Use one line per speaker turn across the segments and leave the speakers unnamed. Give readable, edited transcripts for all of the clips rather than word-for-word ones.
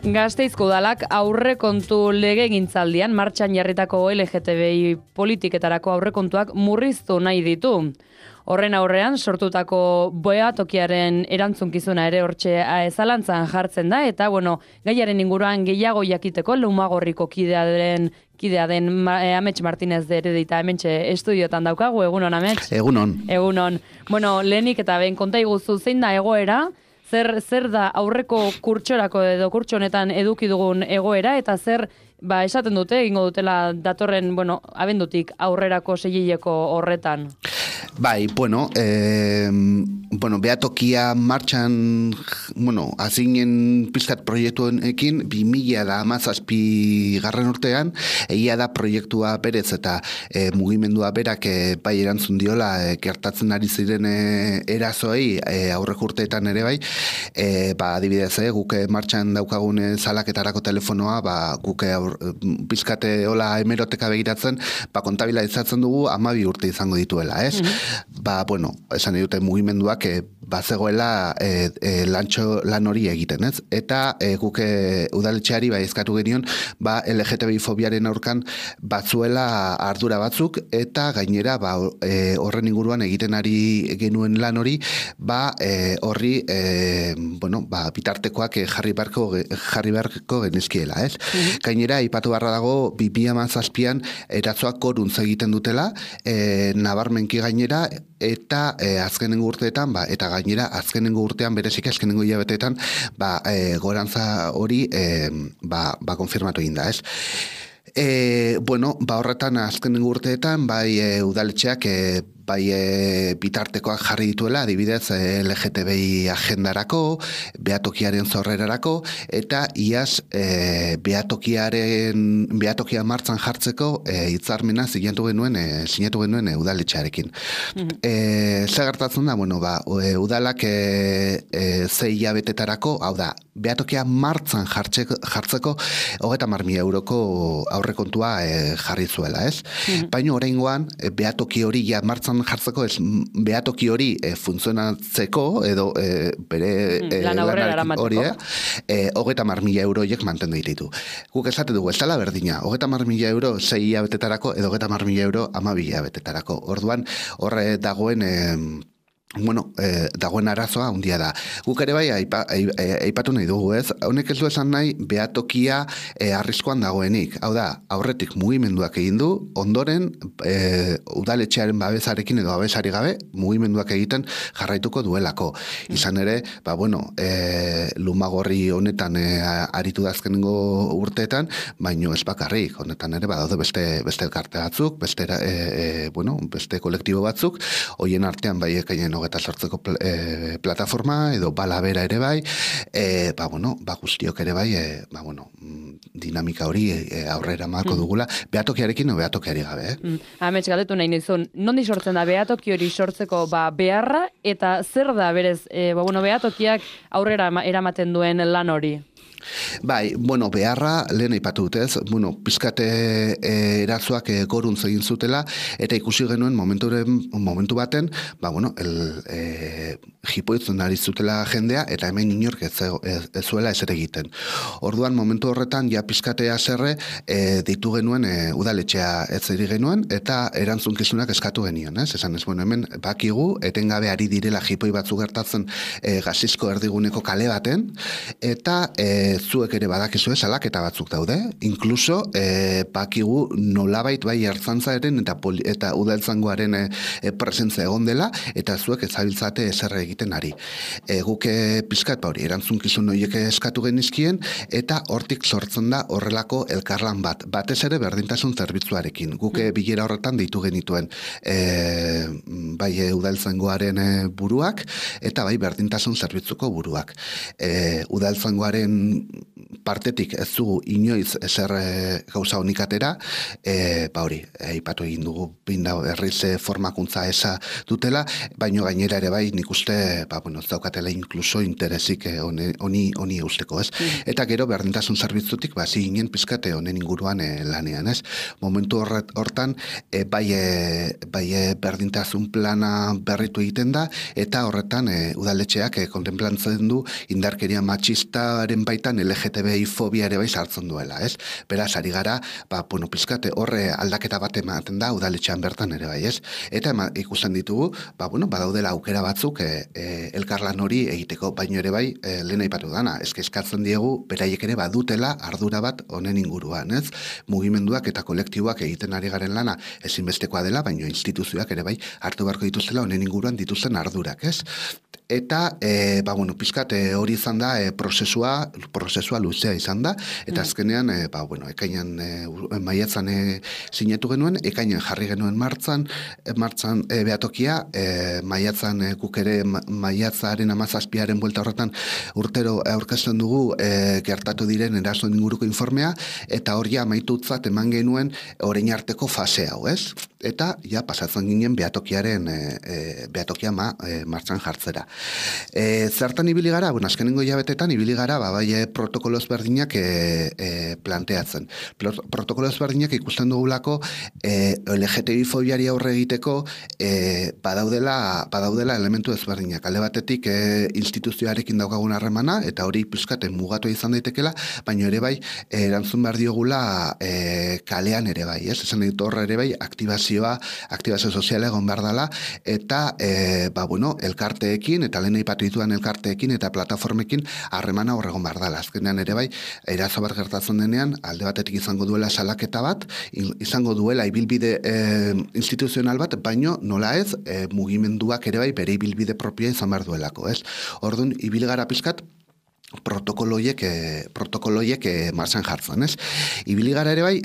Gasteizko udalak aurrekontu legegintzaldian martxan jarritako LGTBI politiketarako aurrekontuak murriztu nahi ditu. Horren aurrean sortutako behatokiaren erantzunkizuna ere hortxe zalantzan jartzen da, eta gaiaren inguruan gehiago jakiteko Lumagorriko kidea den Amets Martinez de Heredita hementxe estudiotan daukagu. Egunon, Amets?
Egunon.
Egunon. Lehenik eta behin konta iguzu zein da egoera, zer da aurreko kurtsorako edo kurtso honetan eduki dugun egoera, eta zer esaten dute, egingo dutela datorren, abendutik aurrerako seilileko horretan.
Bai, behatokia martxan, azinen pizkat proiektuekin, 2017 garren urtean, egia da proiektua berez eta mugimendua berak bai erantzun diola gertatzen ari ziren erazoei aurreko urteetan ere bai, adibidez, guk martxan daukagun salaketarako telefonoa, guk pizkate hola hemeroteka begiratzen, kontabilizatzen dugu 12 urte izango dituela, ez? Esan dute mugimenduak bazegoela lan hori egiten, ez? Eta guk udaletxeari eskatu genion LGTBI fobiaren aurkan batzuela ardura batzuk, eta gainera horren inguruan egiten ari genuen lan hori horri bitartekoak jarri beharko genizkiela, ez? Gainera, ipatu barra dago 2017an eratzoak goruntz egiten dutela, nabarmenki gainera, eta azkenengo urteetan, eta gainera azkenengo urtean, berezik azkenengo hilabeteetan, gorantza hori konfirmatu egin da, ez? Horretan azkenengo urteetan, udaletxeak bitartekoak jarri dituela, adibidez LGTBI agendarako, behatokiaren zorrerarako, eta iaz behatokia martzan jartzeko hitzarmena sinatu genuen udaletxearekin. Zer gertatzen da, udalak 6 hilabetetarako, hau da, behatokia martzan jartzeko 30.000 euroko aurrekontua jarri zuela, ez? Baina oraingoan behatoki hori martzan jartzeko, behatoki hori funtzionatzeko, edo bere lanarekin hori, 30.000 euroiek mantendu ditu. Guk esate dugu, ez dela berdina, 30.000 euro 6 hilabetetarako, edo 30.000 euro 12 hilabetetarako. Orduan, horre dagoen dagoen arazoa handia da. Guk ere aipatu nahi dugu, ez? Honek ez du esan nahi behatokia arriskuan dagoenik. Hau da, aurretik mugimenduak egin du, ondoren udaletxearen babesarekin edo babesari gabe mugimenduak egiten jarraituko duelako. Izan ere, Lumagorri honetan aritu da azkenengo urteetan, baino ez bakarrik, honetan ere badaude beste elkarte batzuk, beste kolektibo batzuk, hoien artean ekainen 28ko plataforma, edo balabera ere bai, guztiok ere bai, dinamika hori aurrera marko dugula, behatokiarekin o behatokiari gabe.
Amets, galdetu nahi nizun, nondi sortzen da behatoki hori sortzeko beharra, eta zer da berez, behatokiak aurrera eramaten duen lan hori?
Beharra, lehen aipatu dutez, pizkate erazoak goruntz egin zutela, eta ikusi genuen momentu baten, jipoitzen ari zutela jendea, eta hemen inork ez zuela ezer egiten. Orduan, momentu horretan, pizkatea zerre, deitu genuen udaletxea ez eri genuen, eta erantzunkizunak eskatu genion, ez? Esan ez, hemen bakigu, etengabe ari direla jipoi batzu gertatzen Gazizko erdiguneko kale baten, eta zuek ere badakizue salaketa batzuk daude, inkluso bakigu nolabait ertzaintzaren eta udaltzaingoaren presentzia egon dela, eta zuek ezabiltzate ezer egiten ari. Guk pizkat hori erantzunkizun horiek eskatu genizkien, eta hortik sortzen da horrelako elkarlan bat. Batez ere berdintasun zerbitzuarekin. Guk bilera horretan deitu genituen udaltzaingoaren buruak, eta berdintasun zerbitzuko buruak. Udaltzaingoaren partetik ez dugu inoiz ezer gauza honik atera, aipatu egin dugu berriz formakuntza eza dutela, baino gainera ere nik uste, ez daukatela inkluso interesik honi eusteko, ez? Eta gero berdintasun zerbitzutik, ziginen pizkate honen inguruan lanean, ez? Momentu hortan, berdintasun plana berritu egiten da, eta horretan udaletxeak kontemplantzen du indarkeria matxistaren baitan horretan LGTBI fobia ere bai sartzen duela, ez? Beraz, ari gara, pizkate horre aldaketa bat ematen da udaletxean bertan ere bai, ez? Eta ikusten ditugu, badaudela aukera batzuk elkarlan hori egiteko, baino ere bai, lehen aipatu dana, eskatzen diegu, beraiek ere badutela ardura bat honen inguruan, ez? Mugimenduak eta kolektiboak egiten ari garen lana ezinbestekoa dela, baino instituzioak ere bai hartu beharko dituztela honen inguruan dituzten ardurak, ez? Eta, pizkat hori izan da prozesua luzea izan da, eta azkenean, ekainan maiatzan sinetu genuen, ekainan jarri genuen martzan behatokia, maiatzan guk ere maiatzaren 17 buelta horretan urtero aurkezten dugu gertatu diren erasoen inguruko informea, eta hori amaitutzat eman genuen orain arteko fase hau, ez? Eta, pasatzen ginen behatokia martxan jartzera. Zertan ibili gara? Azkenengo hilabetetan ibili gara, bai protokolo ezberdinak planteatzen. Protokolo ezberdinak ikusten dugulako LGTBI fobiari aurre egiteko badaudela elementu ezberdinak. Alde batetik instituzioarekin daukagun harremana, eta hori pizkaten mugatu izan daitekela, baina ere bai erantzun behar diogula kalean ere bai, ez? Esan ditu horre ere bai, aktibazio soziala egon behar dela, eta elkarteekin, eta lehen aipatu dituan elkarteekin eta plataformekin harremana horregon behar dela. Azkenean ere bai, eraso bat gertatzen denean, alde batetik izango duela salaketa bat, izango duela ibilbide instituzional bat, baino nola ez, mugimenduak ere bai, bere ibilbide propioa izan behar duelako, ez? Orduan, ibil gara pizkat, protokoloiek martxan jartzen, ez? Ibili gara ere bai,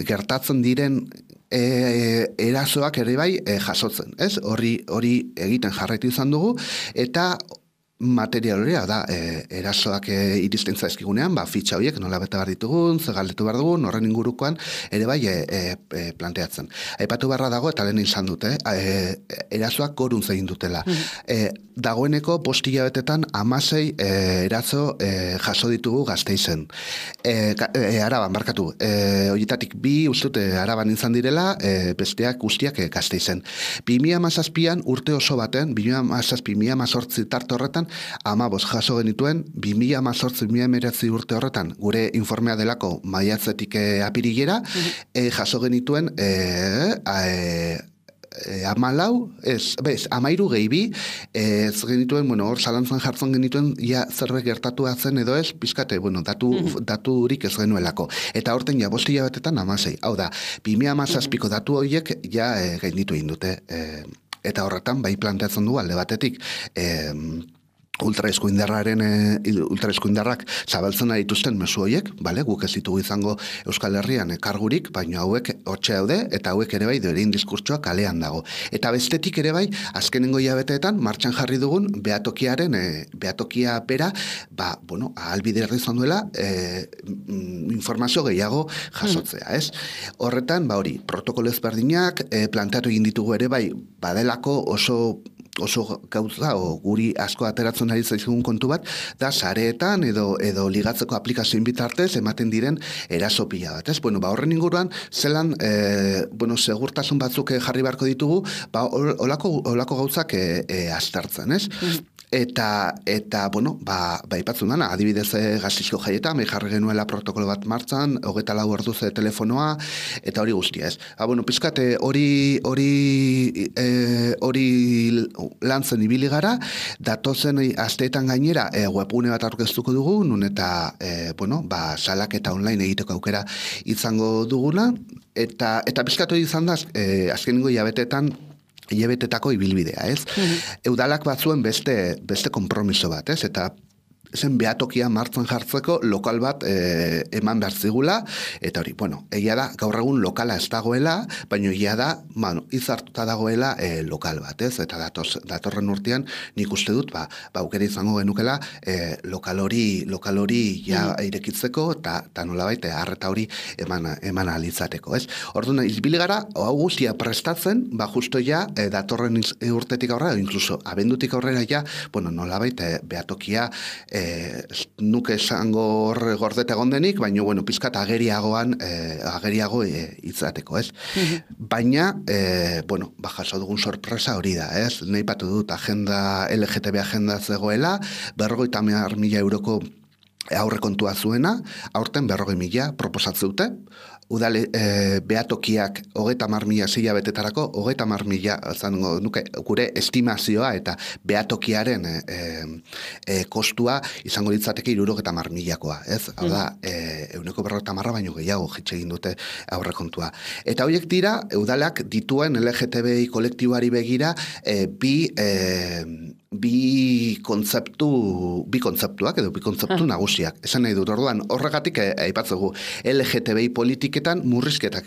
gertatzen diren erasoak ere bai jasotzen, ez? Hori egiten jarraitu izan dugu, eta material hori da, erasoak iristen zaizkigunean, fitxa horiek nola bete behar ditugun, ze galdetu behar dugun, horren ingurukoan ere bai planteatzen. Aipatu beharra dago, eta lehen izan dute, erasoak gorun zegin dutela. Dagoeneko 5 hilabetetan 16 eraso jaso ditugu Gasteizen. Araban, barkatu, horietatik 2 ustut Araban izan direla, besteak guztiak Gasteizen. 2017an urte oso baten, 2017-2018 tarte horretan, 15 jaso genituen, 2018-2019 urte horretan, gure informea delako maiatzetik apirilera, jaso genituen 13 gehi 2, ez genituen, hor zalantzan jartzen genituen, zerbait gertatu zen edo ez, pizkate, daturik ez genuelako. Eta horten 5 hilabetetan 16. Hau da, 2017ko datu horiek gainditu egin dute. Eta horretan, bai planteatzen du alde batetik, ultraeskuindarrak zabaltzen dituzten mezu horiek, guk ez ditugu izango Euskal Herrian kargurik, baina hauek hortxe daude, eta hauek ere bai doerin diskurtsoa kalean dago. Eta bestetik ere bai, azkenengo hilabeteetan martxan jarri dugun behatokia bera, ahalbiderra izan duela informazio gehiago jasotzea, ez? Horretan, hori, protokolo ezberdinak planteatu egin ditugu ere bai, badelako oso gauza, guri asko ateratzen ari zaizugun kontu bat, da sareetan edo ligatzeko aplikazioen bitartez ematen diren eraso pila bat, ez? Horren inguruan, zelan, segurtasun batzuk jarri beharko ditugu, olako gauzak aztertzen, ez? Eta ipatzen dana, adibidez Gasteizko jaietan, jarri genuela protokolo bat martzan, 24 orduz telefonoa, eta hori guztia, ez? Pizkate hori lantzen ibili gara, datozen asteetan gainera webgune bat aurkeztuko dugu, nun eta salaketa online egiteko aukera izango duguna, eta pizkatu izan da, azkenengo hilabetetako ibilbidea, ez? Udalak batzuen beste konpromiso bat, ez? Eta zen behatokia martzan jartzeko lokal bat eman behar zigula, eta hori, egia da, gaur egun lokala ez dagoela, baina egia da, izartuta dagoela lokal bat, ez? Eta datorren urtean, nik uste dut, aukera izango genukela lokal hori irekitzeko, eta nolabait, arreta hori eman alitzateko, ez? Orduan, izbili gara, hau guztia prestatzen, justo ja, datorren urtetik aurrera, inkluso abendutik aurrera ja, nolabait, behatokia nuke esango gordeta egondenik, baina, pizkat ageriago izateko, ez? Baina, jaso dugun sorpresa hori da, ez? Nahi patu dut LGTB agenda zegoela, 50.000 euroko aurrekontua zuena, aurten 40.000 proposatzeute, udale behatokiak 30.000 zeia betetarako, 30.000 zango nuke gure estimazioa eta behatokiaren kostua izango litzateke 70.000koa, ez? Hau da, 150 baino gehiago jitxe egin dute aurrekontua. Eta horiek dira, udalak dituen LGTBI kolektiboari begira bi kontzeptuak edo bi kontzeptu nagusiak. Esan nahi dut, orduan, horregatik aipatzegu LGTBI politiketan murrizketak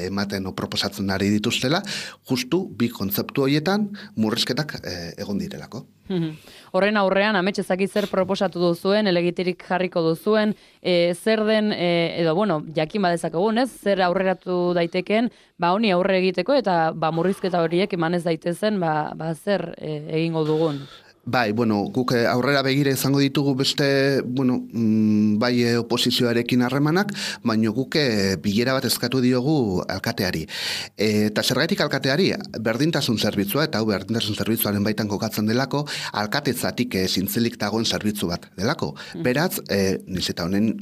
ematen o proposatzen ari dituztela, justu bi kontzeptu horietan murrizketak egon direlako.
Horren aurrean, amets ezakit zer proposatu duzuen, elegitirik jarriko duzuen, zer den, edo, bueno, jakin badezakegu, ez? Zer aurreratu daiteken, honi aurre egiteko, eta murrizketa horiek emanez daitezen, zer egingo dugun.
Bai, bueno, guk aurrera begire izango ditugu beste, bueno, bai oposizioarekin harremanak, baina guk bilera bat eskatu diogu alkateari. Eta zergaitik alkateari, berdintasun zerbitzua, eta hau berdintasun zerbitzuaren baitan kokatzen delako, alkatetzatik zintzilik dagoen zerbitzu bat delako. Beraz, niz eta honen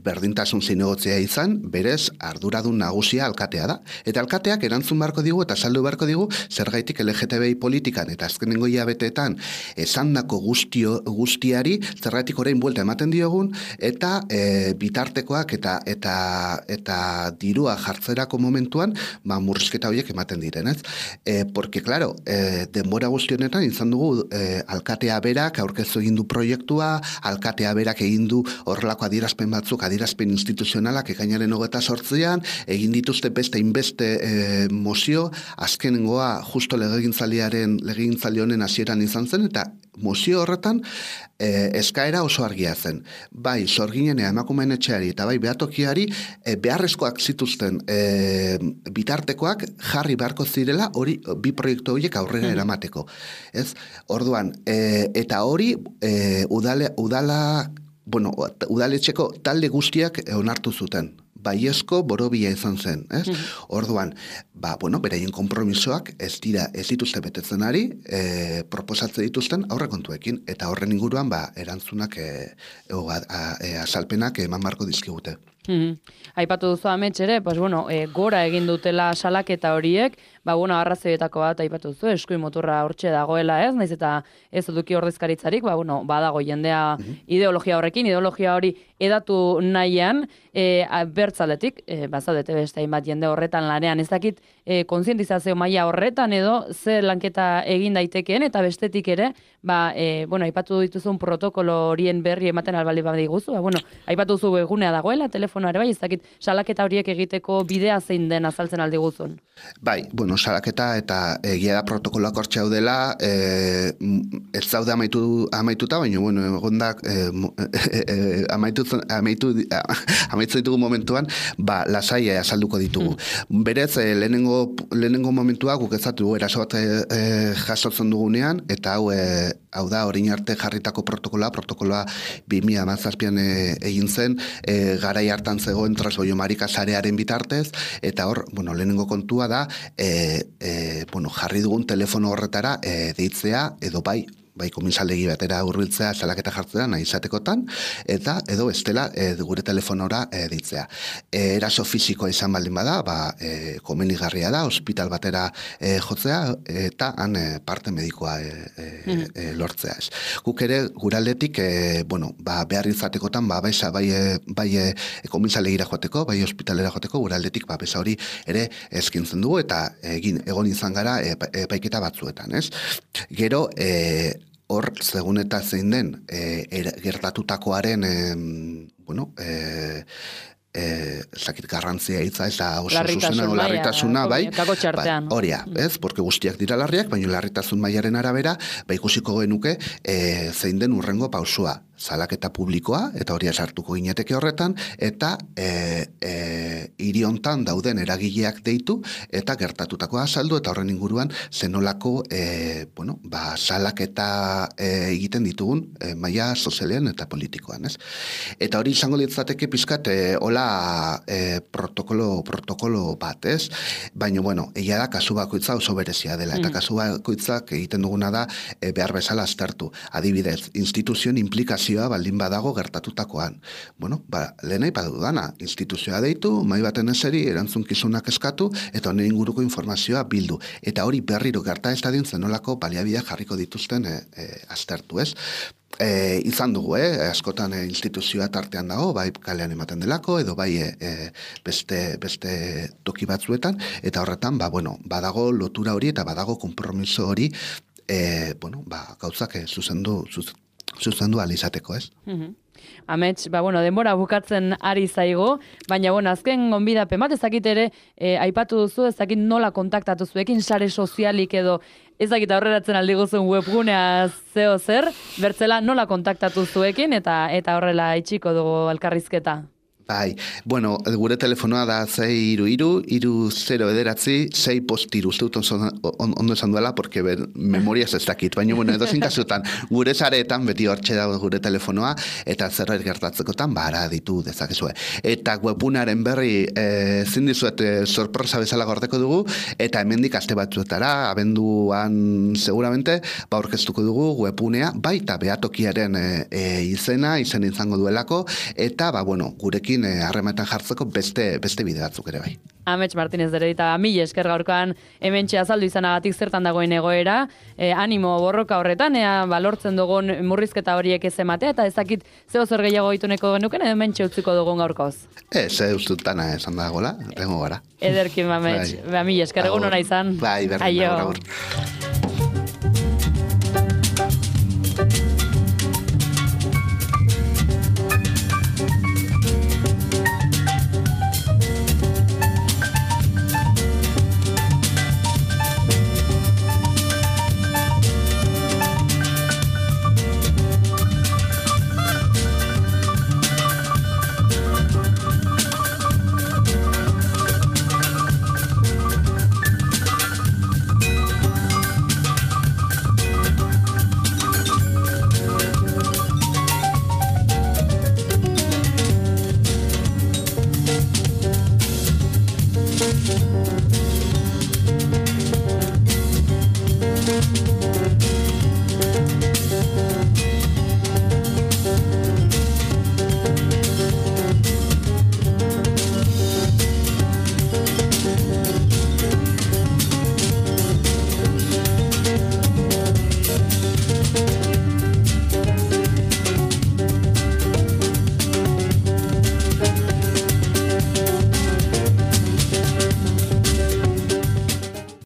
berdintasun zinegotzea izan, berez arduradun nagusia alkatea da. Eta alkateak erantzun beharko digu eta saldu beharko digu zergaitik LGTBI politikan eta azkenengo hilabeteetan esandako guztiari zergaitik orain buelta ematen diogun eta bitartekoak eta dirua jartzerako momentuan murrizketa horiek ematen diren, ez? Porque, claro, denbora guzti honetan izan dugu alkatea berak aurkeztu egin du proiektua, alkatea berak egin du horrelako adierazpen batzuk, adierazpen instituzionalak ekainaren 28an, egin dituzte beste inbeste mozio, azkenengoa justo legegintzaldi honen hasieran izan zen, eta mozio horretan eskaera oso argia zen. Bai, sorginenea emakumeen etxeari eta bai behatokiari beharrezkoak zituzten bitartekoak jarri beharko zirela hori bi proiektu horiek aurrera eramateko. Ez? Orduan, eta hori udaletxeko talde guztiak onartu zuten. Baiezko borobia izan zen, ez? Orduan, beraien konpromisoak ez dituzte betetzen ari, proposatze dituzten aurrekontuekin, eta horren inguruan, erantzunak, azalpenak eman marko dizkigute.
Aipatu duzu amets ere, gora egin dutela salaketa horiek, arrazoietako bat aipatu duzu, eskuin motorra hortxe dagoela, ez? Naiz eta ez eduki ordezkaritzarik, badago jendea ideologia horrekin, ideologia hori edatu nahian, bertzaletik, bazadete beste hainbat jende horretan lanean, ez dakit kontzientizazio maila horretan edo ze lanketa egin daitekeen, eta bestetik ere, aipatu dituzun protokolo horien berri ematen albaldi badiguzu, aipatu duzu egunea dagoela, telefonoa ere bai, ez dakit salaketa horiek egiteko bidea zein den azaltzen aldi guzun.
Bai, salaketa eta egia da protokoloak hortxe hau dela, ez zaude amaituta, baina, egondak amaitu ditugu momentuan, lasai azalduko ditugu. Berez, lehenengo momentua guk ezatu eraso bat jasotzen dugunean, eta hau da, orain arte jarritako protokoloa 2017an egin zen, garai hartan zegoen Transboiomarika sarearen bitartez, eta hor, lehenengo kontua da, jarri dugun telefono horretara deitzea, edo bai komisaldegi batera hurbiltzea salaketa jartzea nahi izatekotan, eta edo estela gure telefonora deitzea. Eraso fisikoa izan baldin bada, komenigarria da, ospital batera jotzea, eta han parte medikoa lortzea. Guk ere, guraldetik, behar izatekotan, bai komisaldegira joateko, bai ospitalera joateko, guraldetik, besa hori ere eskintzen dugu, eta egon izan gara epaiketa batzuetan, ez? Gero, hor, segun eta zein den, gertatutakoaren, zakit garrantzia hitza, ez da oso zuzena, larritasuna, bai, horia, ez, porque guztiak dira larriak, baina larritasun mailaren arabera, ikusiko genuke, zein den urrengo pausua, salaketa publikoa, eta hori sartuko gineteke horretan, eta hiri hontan dauden eragileak deitu, eta gertatutakoa azaldu, eta horren inguruan zenolako salaketa egiten ditugun maila sozialean eta politikoan, ez? Eta hori izango litzateke pizkat hola protokolo bat, ez? Baina, egia da kasu bakoitza oso berezia dela, eta kasu bakoitzak egiten duguna da behar bezala aztertu. Adibidez, instituzioen implikazio informazioa baldin badago gertatutakoan. Bueno, lehen aipatu dana, instituzioa deitu, mahai baten eseri, erantzunkizunak eskatu, eta honen inguruko informazioa bildu. Eta hori berriro gerta ez dadin zenolako baliabideak jarriko dituzten aztertu, ez? Izan dugu, askotan instituzioa tartean dago, bai kalean ematen delako, edo bai beste toki batzuetan, eta horretan, badago lotura hori eta badago konpromiso hori, gauzak zuzendu alizateko, ez?
Amets, denbora bukatzen ari zaigo, baina, azken gonbidapen bat, ezakit ere, aipatu duzu, ezakit nola kontaktatu zuekin, sare sozialik edo, ezakit aurreratzen aldi guzun webgunea zeo zer, bertzela nola kontaktatu zuekin, eta horrela itxiko dugu elkarrizketa.
Bai, gure telefonoa da 6-2-2-0-6 uste dut ondo esan duela, porque memoriaz ez dakit, baina edozin kasutan, gure sareetan beti hortxe dago gure telefonoa, eta zerbait gertatzekotan, bara ditu dezakezue. Eta webunaren berri zindizuet sorpresa bezala gordeko dugu, eta hemendik aste batzuetara, abenduan seguramente, aurkeztuko dugu webunea, baita behatokiaren izen izango duelako, eta gurekin harremanetan jartzeko beste bide batzuk ere bai.
Amets Martínez Dererita, mila esker gaurkoan hementxe azaldu izanagatik zertan dagoen egoera, animo borroka horretan, lortzen dugun murrizketa horiek ez ematea, eta ezakit zeo zer gehiago ituneko genuken, hementxe utziko dugun gaurkoz.
Ustutana esan dagoela, rengo gara.
Ederkin, Amets, mila esker egun hona izan.
Bai, berdin, agur.